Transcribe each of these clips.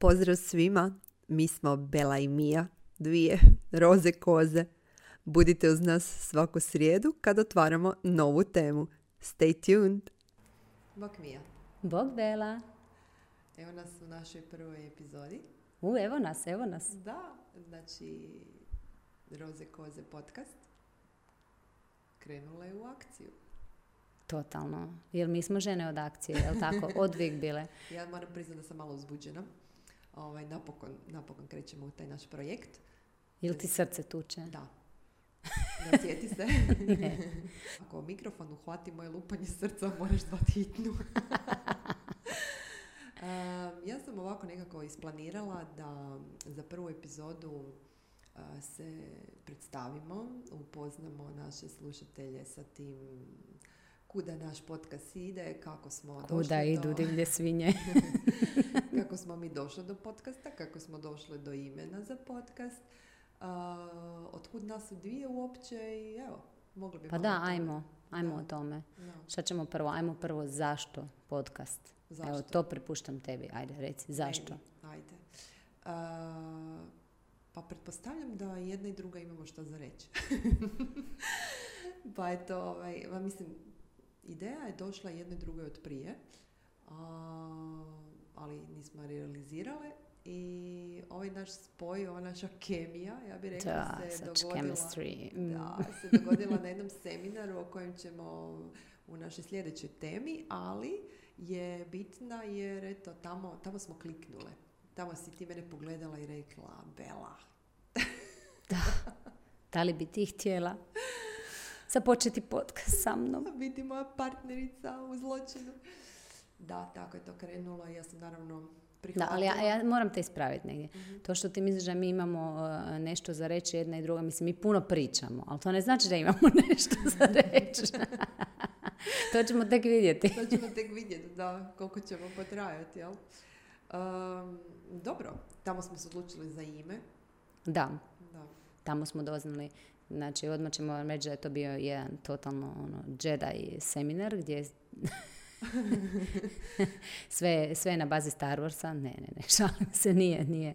Pozdrav svima, mi smo Bela i Mija, dvije roze koze. Budite uz nas svaku srijedu kad otvaramo novu temu. Stay tuned! Bog Mija. Bog Bela. Evo nas u našoj prvoj epizodi. Evo nas. Da, znači Roze koze podcast krenula je u akciju. Totalno. Jer mi smo žene od akcije, jel tako? Odvijek bile. Ja moram priznati da sam malo uzbuđena. Napokon krećemo u taj naš projekt. Ili ti srce tuče? Da. Da, sjeti se. Ne. Ako mikrofon uhvati moje lupanje srca, moraš zvati hitnu. Ja sam ovako nekako isplanirala da za prvu epizodu se predstavimo, upoznamo naše slušatelje sa tim kuda naš podcast ide, kako smo došli kuda idu divlje svinje. Kako smo mi došli do podcasta, kako smo došli do imena za podcast, otkud nas u dvije uopće i evo, mogli bi... Pa da, ajmo o tome. No. Šta ćemo prvo? Ajmo prvo zašto podcast? Zašto? Evo, to prepuštam tebi. Ajde, reci, zašto? Ajde. Pa pretpostavljam da jedna i druga imamo što za reći. Pa eto, mislim, ideja je došla jednoj drugoj od prije, ali nismo realizirale i ovaj naš spoj, ova naša kemija, ja bih rekla, se dogodila na jednom seminaru o kojem ćemo u našoj sljedećoj temi, ali je bitna jer eto, tamo smo kliknule. Tamo si ti mene pogledala i rekla, Bela. Da li bi ti htjela započeti podcast sa mnom? Biti moja partnerica u zločinu. Da, tako je to krenulo i ja sam naravno prihvatila. Da, ali ja moram te ispraviti negdje. Mm-hmm. To što ti misliš da mi imamo nešto za reći jedna i druga, mislim, mi puno pričamo, ali to ne znači da imamo nešto za reći. To ćemo tek vidjeti. Da, koliko ćemo potrajati, jel? Dobro, tamo smo se odlučili za ime. Da. Tamo smo doznali, znači odmah ćemo vam reći da je to bio jedan totalno Jedi seminar gdje sve je na bazi Star Warsa. Ne, šalim se, nije.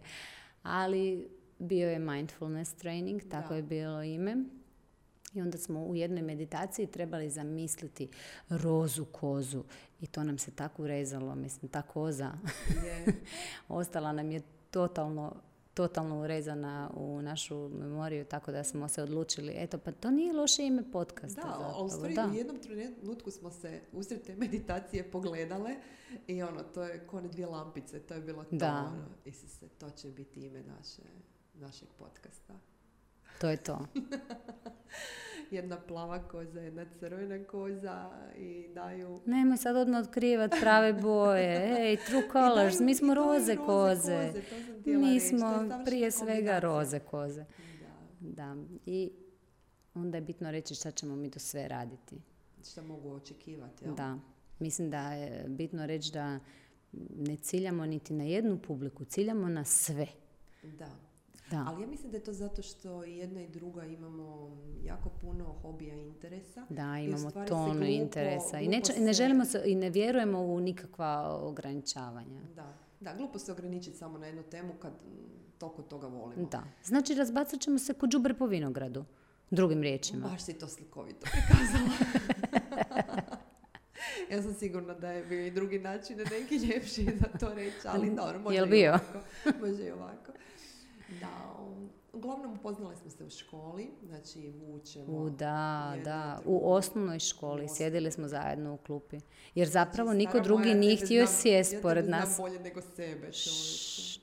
Ali bio je mindfulness training, tako je bilo ime. I onda smo u jednoj meditaciji trebali zamisliti rozu kozu. I to nam se tako urezalo, mislim, ta koza ostala nam je totalno urezana u našu memoriju, tako da smo se odlučili, eto, pa to nije loše ime podcasta. Da, ali u stvari u jednom trenutku smo se usred te meditacije pogledale i to je ko one dvije lampice, to je bilo to. Da. To će biti ime našeg podcasta. To je to. Jedna plava koza, jedna crvena koza i daju... Nemoj sad odmah otkrivati prave boje. Ej, true colors, mi smo roze koze. Mi smo prije svega roze koze. Da. I onda je bitno reći šta ćemo mi to sve raditi. Šta mogu očekivati, jel? Da. Mislim da je bitno reći da ne ciljamo niti na jednu publiku, ciljamo na sve. Da. Ali ja mislim da je to zato što i jedna i druga imamo jako puno hobija i interesa. Da, imamo tonu interesa. I ne želimo se, i ne vjerujemo u nikakva ograničavanja. Da, glupo se ograničiti samo na jednu temu kad toliko toga volimo. Da, znači razbacat ćemo se ko đubre po vinogradu, drugim riječima. Baš si to slikovito prikazala. Ja sam sigurna da je bio i drugi način, neki ljepši za to reći, ali dobro, može i ovako. Da, uglavnom upoznali smo se u školi, znači vučemo... U osnovnoj školi sjedili smo zajedno u klupi. Jer zapravo niko drugi nije htio sjest pored nas. Ja znam bolje nego sebe.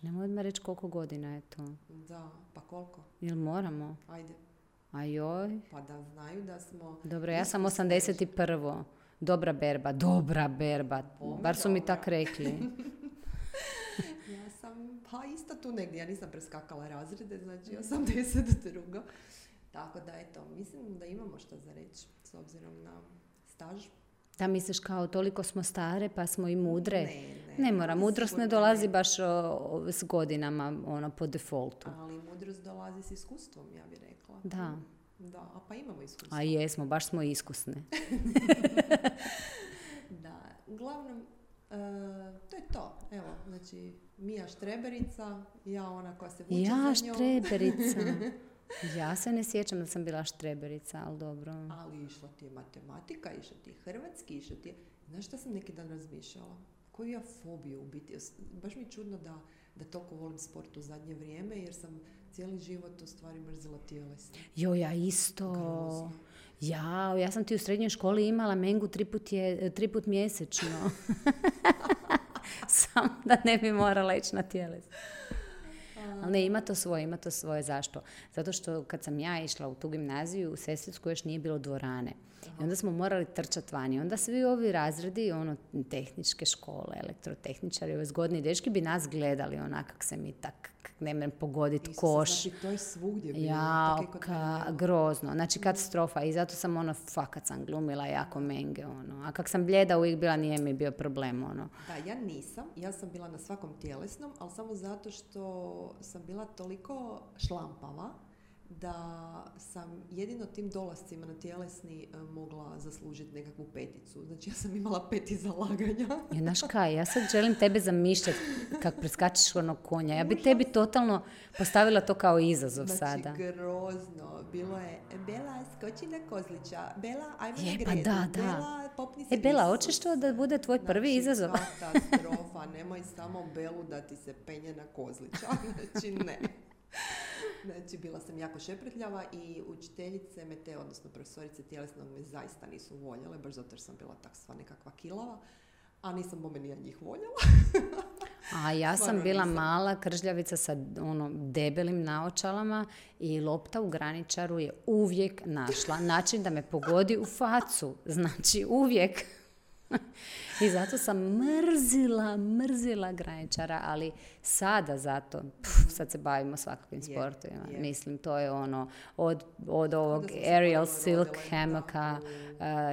Nemoj odmah reći koliko godina je to. Da, pa koliko? Jel moramo? Ajde. Ajoj. Pa da znaju da smo... Dobro, ja sam 81. Dobra berba. Bar su mi tak rekli. Ja sam, isto tu negdje, ja nisam preskakala razrede, znači 82. Tako da, eto, mislim da imamo što za reći, s obzirom na staž. Da misliš kao toliko smo stare pa smo i mudre? Ne mora, mudrost ne dolazi baš s godinama, po defaultu. Ali mudrost dolazi s iskustvom, ja bih rekla. Da. Da, a pa imamo iskustvo. A jesmo, baš smo iskusne. Da, uglavnom, To je to. Evo, znači, Mija štreberica, ja ona koja se vuče Ja za njom. štreberica. Ja se ne sjećam da sam bila štreberica, ali dobro. Ali išla ti je matematika, išla ti je hrvatski, išla ti je... Znaš šta sam neki dan razmišljala? Koju ja fobiju u biti? Baš mi je čudno da toliko volim sport u zadnje vrijeme, jer sam cijeli život u stvari mrzila tjelesno. Jo, ja isto. Grozno. Ja sam ti u srednjoj školi imala mengu 3 put mjesečno. Samo da ne bi morala ići na tjelesno. Ali ne, ima to svoje. Zašto? Zato što kad sam ja išla u tu gimnaziju, u Sesvetsku još nije bilo dvorane. I onda smo morali trčati vani. Onda svi ovi razredi, tehničke škole, elektrotehničari, ovi zgodni dečki bi nas gledali kak se mi tak ne mrem pogoditi koš. Znači, to je svugdje bilo. Ja, grozno. Znači, katastrofa. I zato sam fakat sam glumila jako menge. A kak sam bljeda uvijek bila, nije mi bio problem. Da, ja nisam. Ja sam bila na svakom tjelesnom, ali samo zato što sam bila toliko šlampava da sam jedino tim dolascima na tjelesni mogla zaslužiti nekakvu 5. Znači, ja sam imala 5 zalaganja. Znaš kaj, ja sad želim tebe zamišljati kak preskačiš onog konja. Ja bi tebi totalno postavila to kao izazov sada. Znači, grozno. Bilo je, Bela, skoči na kozlića. Bela, ajmo na gredu. Pa da. Bela, popni se Bela, hoćeš to da bude tvoj prvi izazov? Katastrofa. Nemoj samo Belu da ti se penje na kozlića. Znači, ne. Znači, bila sam jako šepretljava i učiteljice odnosno profesorice tjelesnog me zaista nisu voljele, baš zato jer sam bila takva nekakva kilava, a nisam bome ni ja njih voljela. A ja sam bila mala kržljavica sa debelim naočalama i lopta u graničaru je uvijek našla način da me pogodi u facu. Znači, uvijek. I zato sam mrzila graničara, ali sada zato, sad se bavimo svakakvim sportovima. Mislim, to je od ovog aerial silk hammocka,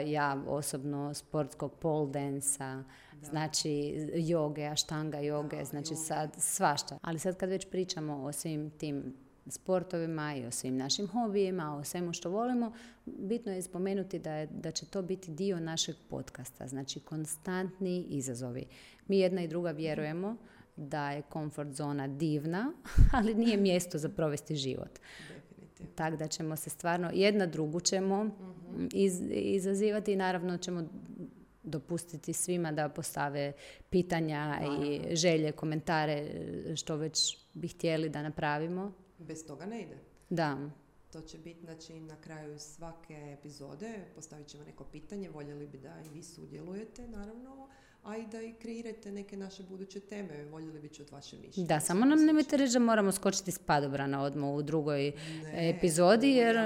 ja osobno sportskog pole dansa, znači joge, aštanga joge, znači sad svašta. Ali sad kad već pričamo o svim tim sportovima i o svim našim hobijima, o svemu što volimo, bitno je spomenuti da će to biti dio našeg podcasta, znači konstantni izazovi. Mi jedna i druga vjerujemo da je komfort zona divna, ali nije mjesto za provesti život. Tako da ćemo se stvarno, jedna drugu ćemo izazivati i naravno ćemo dopustiti svima da postave pitanja i želje, komentare, što već bi htjeli da napravimo. Bez toga ne ide. Da. To će biti, znači, na kraju svake epizode postavit ćemo neko pitanje, voljeli bi da i vi sudjelujete, naravno, a i da i kreirate neke naše buduće teme, voljeli bi čuti vaše mišljenje. Da, samo nam nemojte reći da moramo skočiti s padobrana odmah u drugoj epizodi, jer...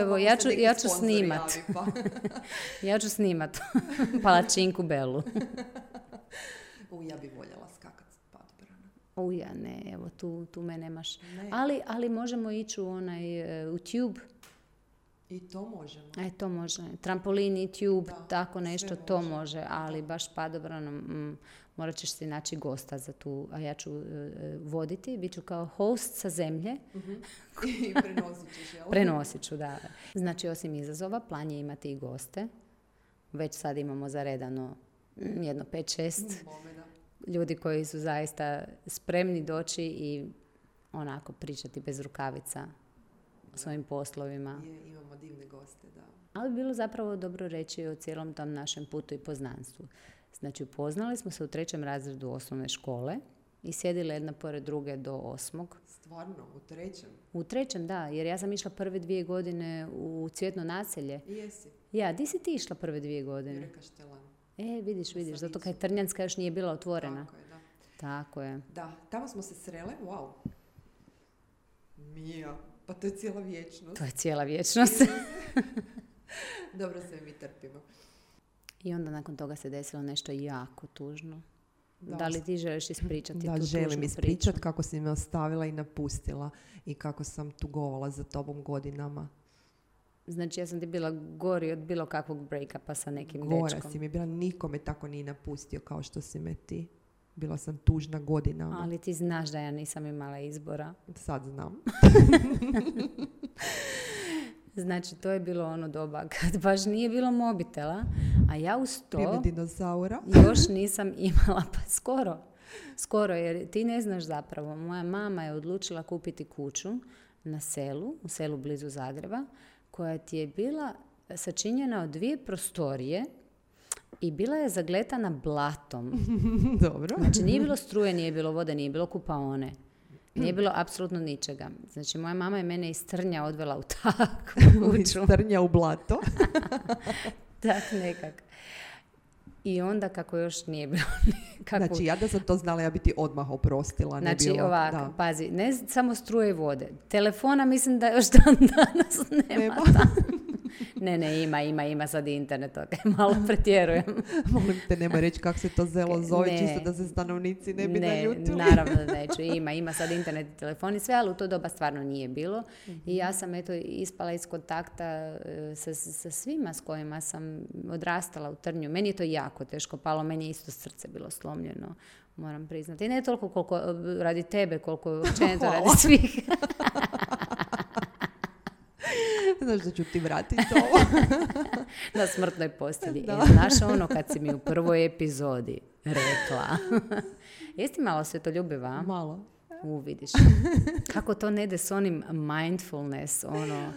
Evo, ja ću snimat. Ja ću snimat palačinku Belu. Ja bi voljela skakat s padobrana. Uja, ne, evo, tu me nemaš. Ali možemo ići u tube. I to možemo. To može. Trampolin i tube, tako nešto, to može. Ali baš padobranom morat ćeš si naći gosta za tu, a ja ću voditi. Biću kao host sa zemlje. I prenosit ćeš, jel? Prenosit ću, da. Znači, osim izazova, plan je imati i goste. Već sad imamo zaredano jedno 5-6 ljudi koji su zaista spremni doći i onako pričati bez rukavica o svojim poslovima. Imamo divne goste, da. Ali bilo zapravo dobro reći o cijelom tom našem putu i poznanstvu. Znači, upoznali smo se u 3. razredu osnovne škole i sjedile jedna pored druge do 8. Stvarno, u 3. U 3, da, jer ja sam išla prve 2 godine u Cvjetno naselje. Jesi. Ja, di si ti išla prve 2 godine? Jureka Štelan. Vidiš, zato kaj Trnjanska još nije bila otvorena. Tako je, da. Tako je. Da, tamo smo se srele, wow. Mija, pa to je cijela vječnost. To je cijela vječnost. Dobro, sve mi trpimo. I onda nakon toga se desilo nešto jako tužno. Da li ti želiš ispričati tu tužnu priču? Da, želim ispričati kako si me ostavila i napustila i kako sam tugovala za tobom godinama. Znači, ja sam ti bila gori od bilo kakvog break-upa sa nekim dečkom. Gora si mi bila, nikome tako nije napustio kao što si me ti. Bila sam tužna godinama. Ali ti znaš da ja nisam imala izbora. Sad znam. Znači, to je bilo ono doba kad baš nije bilo mobitela, a ja uz to Vrijeme dinosaura. još nisam imala, pa skoro, jer ti ne znaš zapravo. Moja mama je odlučila kupiti kuću na selu, u selu blizu Zagreba, koja ti je bila sačinjena od 2 prostorije i bila je zagletana blatom. Dobro. Znači, nije bilo struje, nije bilo vode, nije bilo kupaone. Nije bilo apsolutno ničega. Znači, moja mama je mene iz Trnja odvela u takvu kuću. Iz Trnja u blato. Tak nekak. I onda kako još nije bilo nikakvu... Znači, ja da sam to znala, ja bi ti odmah oprostila. Znači, ne bilo, ovako, da. pazi, ne samo struje i vode. Telefona mislim da još dan danas nema. Ne, ima sad internet, malo pretjerujem. Molim te, nemoj reći kako se to zelo zove, Ne. čisto da se stanovnici ne bi naljutili. Naravno da neću. Ima sad internet i telefon i sve, ali u to doba stvarno nije bilo. I ja sam ispala iz kontakta sa svima s kojima sam odrastala u Trnju. Meni je to jako teško palo, meni je isto srce bilo slomljeno, moram priznati. I ne toliko koliko radi tebe, koliko općenito radi svih. Znaš da ću ti vratiti ovo. Na smrtnoj postelji. Da. Znaš ono kad si mi u prvoj epizodi rekla. Jesi ti malo svetoljubiva? Malo. Vidiš. Kako to ne ide s onim mindfulness, ono.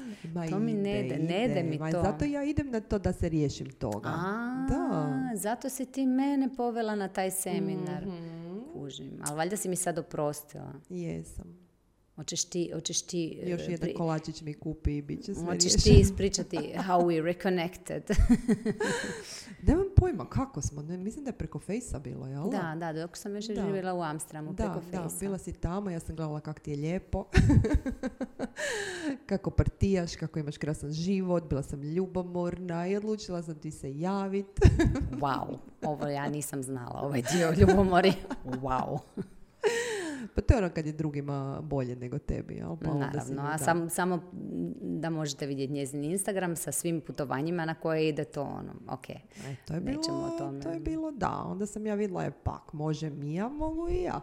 To mi ne ide mi to. Zato ja idem na to da se riješim toga. Da. Zato si ti mene povela na taj seminar. Kužim. Ali valjda si mi sad oprostila. Jesam. Hoćeš ti Još jedan kolačić mi kupi i bit će sve hoćeš riješeno. ti ispričati how we reconnected. Nemam pojma kako smo. Mislim da je preko Fejsa bilo, jel? Da, dok sam još živjela u Amsterdamu preko Fejsa. Da, bila si tamo, ja sam gledala kako ti je lijepo. Kako partijaš, kako imaš krasan život, bila sam ljubomorna i odlučila sam ti se javiti. Wow, ovo ja nisam znala, ovaj dio ljubomori. Wow. Pa to je ono kad je drugima bolje nego tebi, jel? Pa naravno, a samo da možete vidjeti njezin Instagram sa svim putovanjima na koje ide to ono, ok, to je nećemo o tome. To je bilo da, onda sam ja vidjela pak, može mi ja, mogu i ja.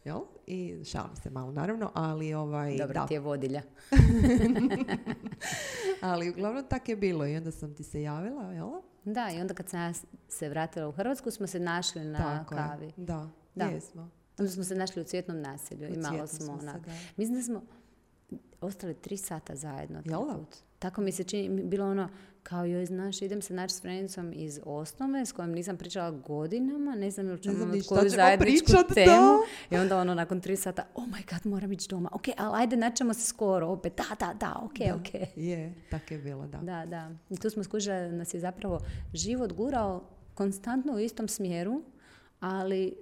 Jel? I šalim se malo naravno, ali Dobra ti je vodilja. Ali uglavnom tak je bilo i onda sam ti se javila, jel? Da, i onda kad sam ja se vratila u Hrvatsku smo se našli na tako kavi. Je. Da, jesmo. Onda smo se našli u Cvjetnom naselju i malo smo mislim da smo ostali 3 sata zajedno. Tako mi se čini, bilo ono kao joj, znaš, idem se naći s Frenicom iz osnove s kojom nisam pričala godinama, ne znam koju zajedničku temu. I onda ono nakon 3 sata, oh my god, moram ići doma. Ok, ali ajde, naćemo se skoro opet. Da, ok. Je, tako je bilo, da. Da. I tu smo skužili da nas je zapravo život gurao konstantno u istom smjeru, ali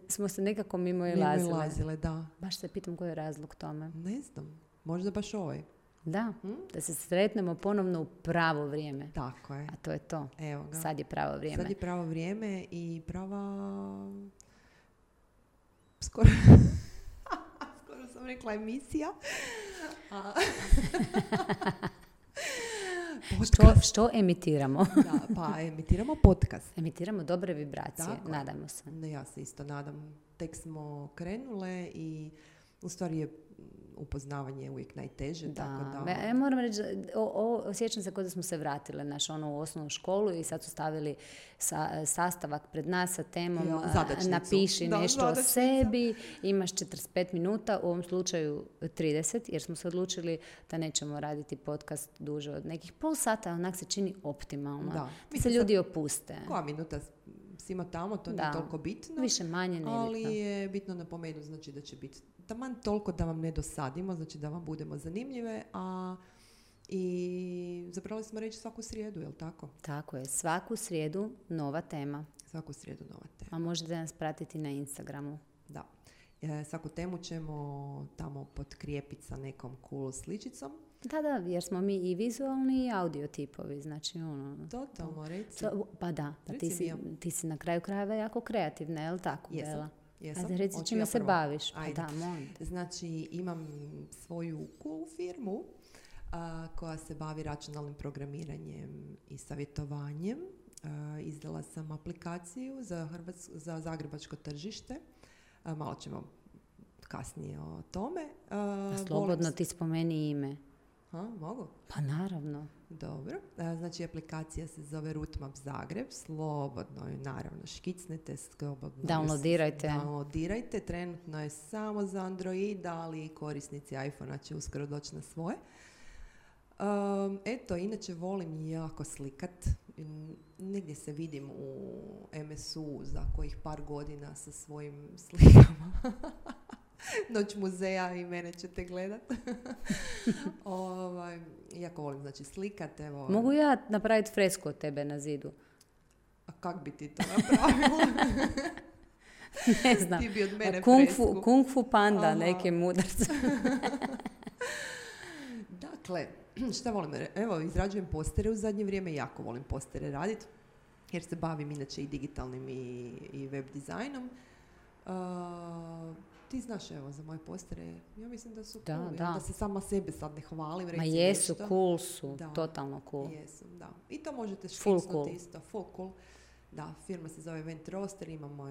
smo se nekako mimo ilazile. Da. Baš se pitam koji je razlog tome. Ne znam, možda baš ovaj. Da, da se sretnemo ponovno u pravo vrijeme. Tako je. A to je to. Evo ga. Sad je pravo vrijeme. Sad je pravo vrijeme i prava... Skoro sam rekla emisija. Što emitiramo? Da, pa emitiramo podcast. Emitiramo dobre vibracije, tako, nadajmo se. Ja se isto nadam. Tek smo krenule i u stvari je upoznavanje uvijek najteže. Da. Tako da... Ja moram reći, osjećam se kao da smo se vratile u osnovnu školu i sad su stavili sastavak pred nas sa temom napiši nešto o sebi, imaš 45 minuta, u ovom slučaju 30, jer smo se odlučili da nećemo raditi podcast duže od nekih pol sata, onak se čini optimalno. Da se ljudi opuste. Koja minuta svima tamo, to nije toliko bitno. Više manje nebitno. Ali je bitno napomenuti, znači da će biti taman toliko da vam ne dosadimo, znači da vam budemo zanimljive, i zapravo smo reći svaku srijedu, jel tako? Tako je, svaku srijedu nova tema. Svaku srijedu nova tema. A možete nas pratiti na Instagramu. Da. Svaku temu ćemo tamo potkrijepiti sa nekom cool sličicom. Da, jer smo mi i vizualni i audio tipovi, znači ono... Totalno, reci. Pa da, ti si na kraju krajeva jako kreativna, je li tako, Bela? Jesam. Ajde, reci čime se baviš. Ajde. Pa da, molim. Znači, imam svoju cool firmu koja se bavi računalnim programiranjem i savjetovanjem. Izdala sam aplikaciju za zagrebačko tržište. Malo ćemo kasnije o tome. Slobodno ti spomeni ime. Ha, mogu? Pa naravno. Dobro. Znači, aplikacija se zove Rootmap Zagreb. Slobodno je, naravno, škicnete, slobodno. Downloadirajte. Trenutno je samo za Android, ali korisnici iPhone-a će uskoro doći na svoje. Eto, inače volim jako slikat. Negdje se vidim u MSU za kojih par godina sa svojim slikama. Noć muzeja i mene ćete gledat. Jako volim, znači, slikat. Evo. Mogu ja napraviti fresku od tebe na zidu? A kak bi ti to napravila? Ne znam. Ti bi od mene Kung Fu panda, neke mudarce. Dakle, šta volim? Evo, izrađujem postere u zadnje vrijeme. Jako volim postere raditi. Jer se bavim inače i digitalnim i web dizajnom. Ti znaš, evo, za moje postere, ja mislim da su cool. Da se sama sebe sad ne hvalim. Ma jesu, nešto. Cool su, totalno cool. Jesu, da. I to možete škicnuti isto. Full cool. Da, firma se zove Event Roster, imamo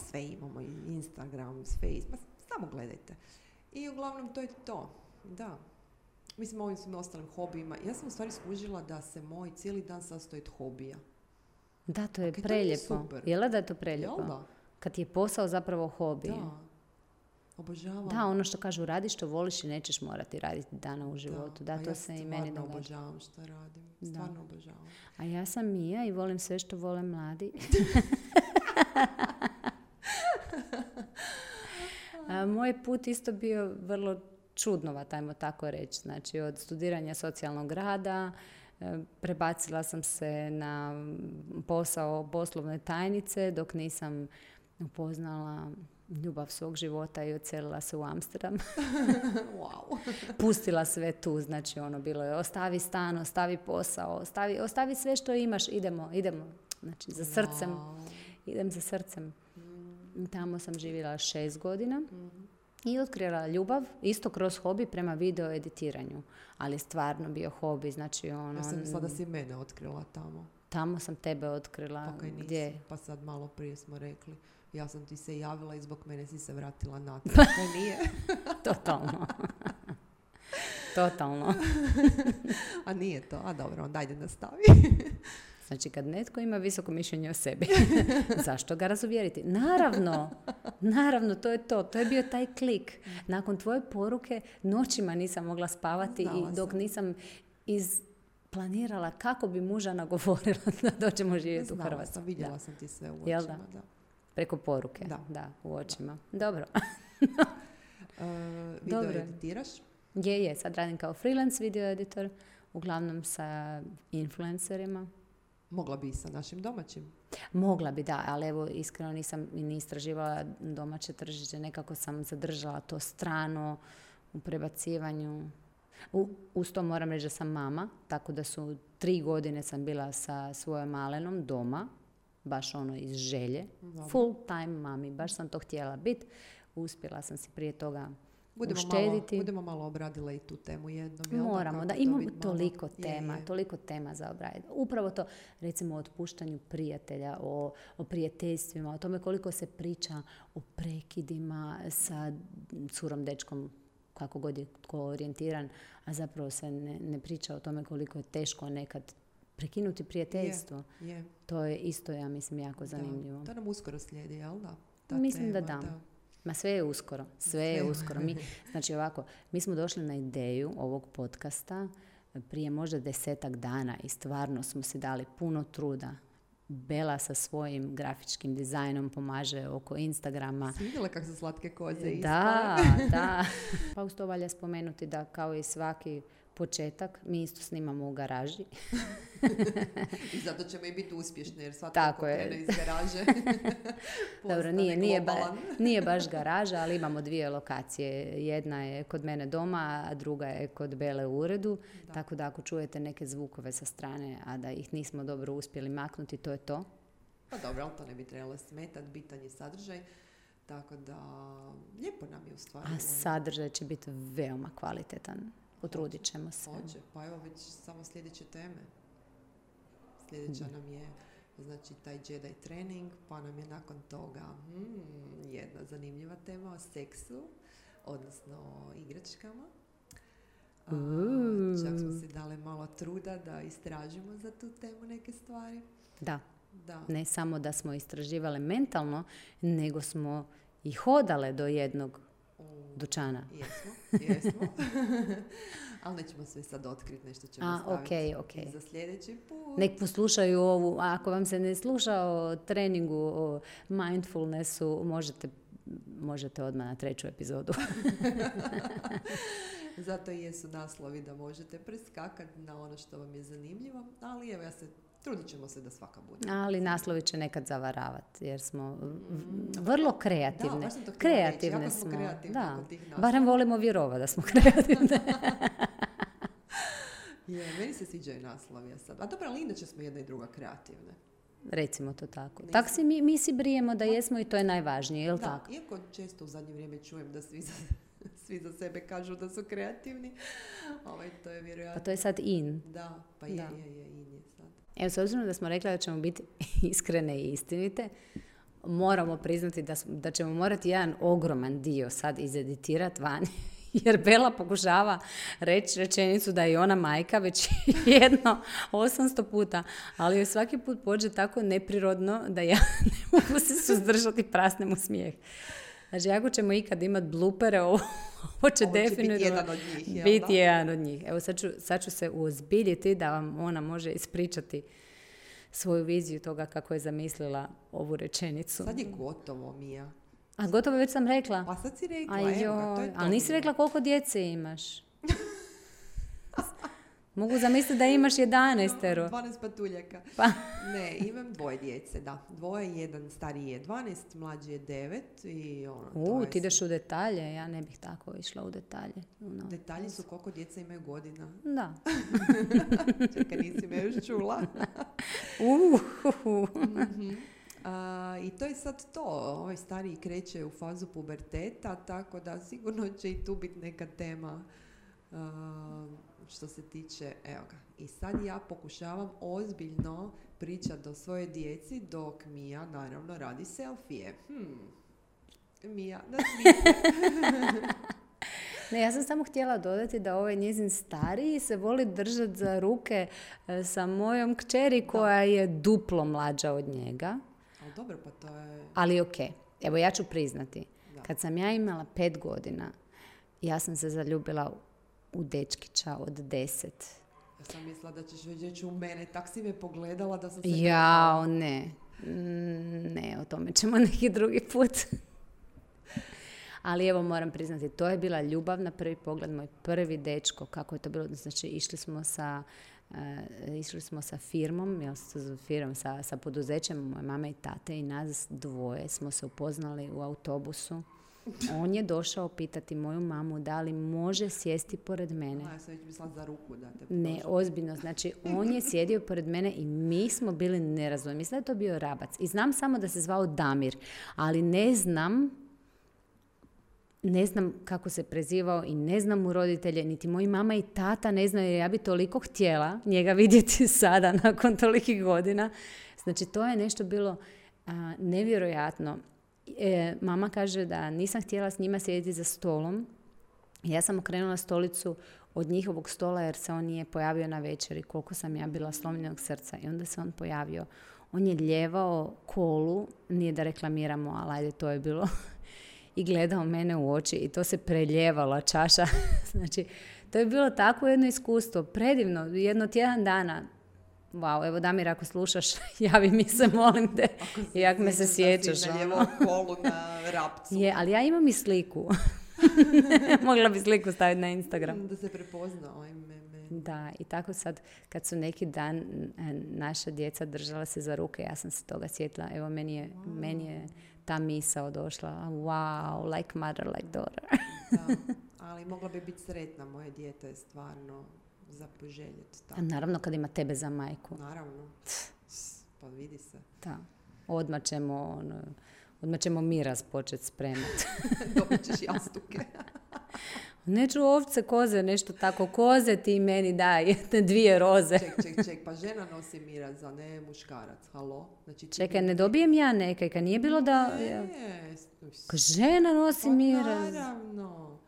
sve imamo, i Instagram, Facebook, samo gledajte. I uglavnom to je to, da. Mislim, ovim svim ostalim hobijima. Ja sam u stvari skužila da se moj cijeli dan sastoji od hobija. Da, to je preljepo. Jel da je to preljepo? Jel da? Kad ti je posao zapravo hobi. Da. Obožavam. Da, ono što kažu, radi što voliš i nećeš morati raditi dana u životu. Da, to se i meni događa. Ja obožavam što radim. Stvarno obožavam. A ja sam Mija i volim sve što vole mladi. Moj put isto bio vrlo čudnovat, ajmo tako reći. Znači, od studiranja socijalnog rada prebacila sam se na posao poslovne tajnice dok nisam upoznala ljubav svog života i odselila se u Amsterdam. Wow. Pustila sve tu, znači bilo je ostavi stan, ostavi posao, ostavi sve što imaš, idemo. Znači, za srcem. Idem za srcem. Tamo sam živjela 6 godina i otkrila ljubav, isto kroz hobi prema video editiranju. Ali stvarno bio hobi, znači Ja sam mislila da si mene otkrila tamo. Tamo sam tebe otkrila. Gdje? Pa sad malo prije smo rekli. Ja sam ti se javila i zbog mene si se vratila natrag. Kaj nije? Totalno. A nije to? A dobro, onda ajde nastavi. Znači, kad netko ima visoko mišljenje o sebi, zašto ga razuvjeriti? Naravno, to je to. To je bio taj klik. Nakon tvoje poruke noćima nisam mogla spavati i dok nisam planirala kako bi muža nagovorila da dođemo živjeti u Hrvatsku. Vidjela sam ti sve u očima. Da. Preko poruke, da, u očima. Da. Dobro. Video editiraš? Je, sad radim kao freelance video editor, uglavnom sa influencerima. Mogla bi i sa našim domaćim? Mogla bi, da, ali evo, iskreno nisam ni istraživala domaće tržište, nekako sam zadržala to strano u prebacivanju. Uz to moram reći da sam mama, tako da su 3 godine sam bila sa svojom malenom doma, baš iz želje. Dobre. Full time mami, baš sam to htjela biti. Uspjela sam si prije toga uštediti. Budemo malo obradile i tu temu jednom. Moramo, da, imamo toliko tema za obraditi. Upravo to, recimo o otpuštanju prijatelja, o prijateljstvima, o tome koliko se priča o prekidima sa curom, dečkom, kako god je tko orijentiran, a zapravo se ne priča o tome koliko je teško nekad prekinuti prijateljstvo. Je. To je isto, ja mislim, jako zanimljivo. To nam uskoro slijedi, jel da? Mislim da da. Ma sve je uskoro. Znači ovako, mi smo došli na ideju ovog podcasta prije možda 10 dana i stvarno smo si dali puno truda. Bela sa svojim grafičkim dizajnom pomaže oko Instagrama. Si vidjela kako su slatke koze isto? Da. Pa uz to valja spomenuti da kao i svaki početak, mi isto snimamo u garaži. I zato ćemo i biti uspješni, jer svatko krene iz garaže. Dobro, nije baš garaža, ali imamo 2 lokacije. Jedna je kod mene doma, a druga je kod Bele u uredu. Da. Tako da ako čujete neke zvukove sa strane, a da ih nismo dobro uspjeli maknuti, to je to. Pa dobro, ali to ne bi trebalo smetati, bitan je sadržaj. Tako da, lijepo nam je u stvari. A sadržaj će biti veoma kvalitetan. Potrudit ćemo se. Hoće, pa evo već samo sljedeće teme. Sljedeća nam je znači taj Jedi trening, pa nam je nakon toga jedna zanimljiva tema o seksu, odnosno igračkama. Čak smo si dali malo truda da istražimo za tu temu neke stvari. Da. Ne samo da smo istraživale mentalno, nego smo i hodale do jednog dućana. Jesmo. Ali nećemo sve sad otkriti, nešto ćemo staviti za sljedeći put. Nek poslušaju ovu, ako vam se ne sluša o treningu, o mindfulnessu, možete odmah na 3. epizodu. Zato i jesu naslovi da možete preskakati na ono što vam je zanimljivo, ali evo trudit ćemo se da svaka bude. Ali naslovi će nekad zavaravati, jer smo vrlo kreativne. Da, baš sam to kreativne reći. Jako smo kreativne kod tih naslova. Barem volimo vjerovati da smo kreativne. Meni se sviđaju naslovi sad. A dobro, ali inače smo jedna i druga kreativne. Recimo to tako. Tako mi si brijemo da jesmo i to je najvažnije, je li tako? Iako često u zadnje vrijeme čujem da svi za sebe kažu da su kreativni. To je vjerojatno. Pa to je sad in. Da, pa in je sad. Evo, s obzirom da smo rekli da ćemo biti iskrene i istinite, moramo priznati da ćemo morati jedan ogroman dio sad izeditirati van. Jer Bela pokušava reći rečenicu da je ona majka već 800 puta, ali joj svaki put pođe tako neprirodno da ja ne mogu se suzdržati, prasnem u smijeh. Znači, ako ćemo ikad imati blupere, ovo će definitivno biti jedan od njih. Evo, sad ću se uozbiljiti da vam ona može ispričati svoju viziju toga kako je zamislila ovu rečenicu. Sad je gotovo, Mija. A gotovo već sam rekla. Pa sad si rekla, to je to. Ali nisi rekla koliko djece imaš. Mogu zamisliti da imaš 11. 12 patuljaka. Pa. Ne, imam 2 djece, da. 2, jedan stariji je 12, mlađi je 9 i ti ideš u detalje, ja ne bih tako išla u detalje. Detalji su koliko djeca imaju godina. Da. Čekaj, nisi me još čula. I to je sad to. Ovaj stariji kreće u fazu puberteta, tako da sigurno će i tu biti neka tema što se tiče, evo ga. I sad ja pokušavam ozbiljno pričati o svojoj djeci dok Mija naravno radi selfije. Mija, da Ne, ja sam samo htjela dodati da ovaj njezin stariji se voli držati za ruke sa mojom kćeri koja je duplo mlađa od njega. Ali dobro, pa to je... Ali evo ja ću priznati. Kad sam ja imala 5 godina, ja sam se zaljubila u dečkića od 10. Ja sam mislila da ćeš reći u mene, tak si me pogledala da sam se... Ne, o tome ćemo neki drugi put. Ali evo moram priznati, to je bila ljubav na prvi pogled, moj prvi dečko, kako je to bilo. Znači, išli smo sa firmom, sa poduzećem moje mame i tate i nas 2 smo se upoznali u autobusu. On je došao pitati moju mamu da li može sjesti pored mene. Ja sam već mislila za ruku da te podložim. Ne, ozbiljno. Znači, on je sjedio pored mene i mi smo bili nerazumni. Mislim da je to bio Rabac. I znam samo da se zvao Damir, ali ne znam kako se prezivao i ne znam mu roditelje, niti moji mama i tata ne znaju, jer ja bi toliko htjela njega vidjeti sada nakon tolikih godina. Znači, to je nešto bilo nevjerojatno. Mama kaže da nisam htjela s njima sjediti za stolom. Ja sam okrenula stolicu od njihovog stola jer se on nije pojavio na večeri. Koliko sam ja bila slomljenog srca. I onda se on pojavio. On je ljevao kolu, nije da reklamiramo, ali ajde, to je bilo... I gledao mene u oči i to se preljevala čaša. Znači, to je bilo tako jedno iskustvo. Predivno, jedno tjedan dana. Wow, evo Damir, ako slušaš, javi mi se, molim te. I ako me se sjećaš. Na lijevom kolu na Rapcu. Je, ali ja imam i sliku. Mogla bi sliku staviti na Instagram. Da se prepozna ovaj meme. Da, i tako sad, kad su neki dan naša djeca držala se za ruke, ja sam se toga sjetila. Evo, meni je ta misao došla. Wow, like mother, like daughter. Da, ali mogla bi biti sretna. Moje dijete je stvarno za poželjeti. A naravno kad ima tebe za majku. Naravno. Pa vidi se. Da. Odmah ćemo miraz početi spremati. Dobit ćeš jastuke. Neću ovce, koze, nešto tako. Koze ti meni daj, 2 roze. Ček, pa žena nosi miraz, a ne muškarac. Halo? Znači, čekaj, ne dobijem ja nekaj, kad nije bilo da... Ne. Žena nosi miraz. Naravno.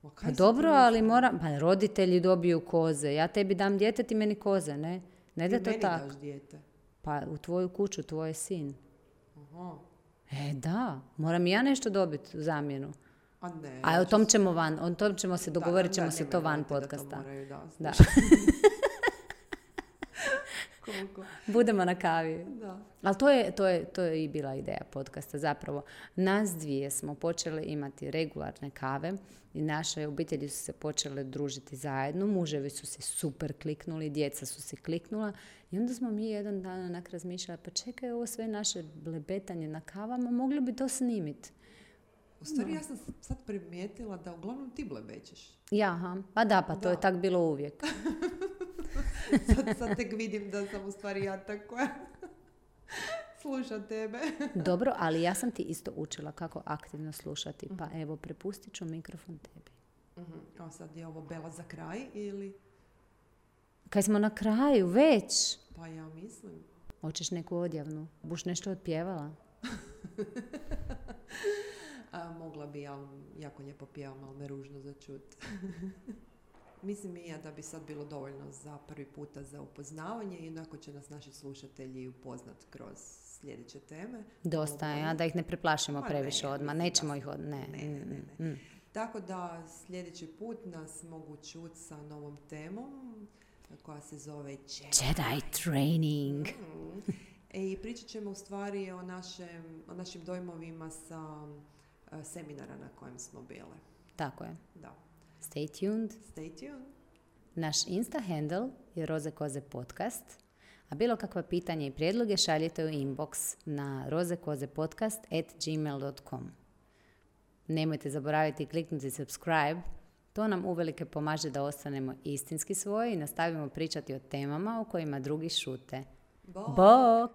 Pa dobro, ali moram, pa roditelji dobiju koze. Ja tebi dam dijete, ti meni koze, ne? Ne da to tako. Ti meni daš dijete? Pa u tvoju kuću, tvoj je sin. Aha. Da, moram i ja nešto dobiti u zamjenu. A ne. A o tom ćemo se dogovorit ćemo se to van podcasta. Da. Budemo na kavi. Da. Ali to je i bila ideja podcasta. Zapravo, nas dvije smo počele imati regularne kave i naše obitelji su se počele družiti zajedno. Muževi su se super kliknuli, djeca su se kliknula i onda smo mi jedan dan onak razmišljali, pa čekaj, ovo sve naše blebetanje na kavama, mogli bi to snimiti. U stvari, ja sam sad primijetila da uglavnom ti blebećeš. Pa to je tak bilo uvijek. sad tek vidim da sam u stvari ja tako sluša tebe. Dobro, ali ja sam ti isto učila kako aktivno slušati. Pa evo, prepustit ću mikrofon tebi. A sad je ovo Bela za kraj ili? Kaj smo na kraju, već? Pa ja mislim. Hoćeš neku odjavnu? Buš nešto otpjevala? Mogla bi, ali jako lijepo pjevam, ali me ružno za čut. Mislim i ja da bi sad bilo dovoljno za prvi puta za upoznavanje i onako će nas naši slušatelji upoznat kroz sljedeće teme. Dosta je, a da ih ne preplašimo previše odmah. Nećemo ih Ne. Tako da sljedeći put nas mogu čuti sa novom temom koja se zove Jedi Training. I pričat ćemo u stvari o našim dojmovima sa seminara na kojem smo bile. Tako je. Da. Stay tuned. Naš Insta handle je Roze Koze podcast, a bilo kakva pitanja i prijedloge šaljite u inbox na rozekozepodcast@gmail.com. Nemojte zaboraviti kliknuti subscribe, to nam uvelike pomaže da ostanemo istinski svoji i nastavimo pričati o temama o kojima drugi šute. Bok!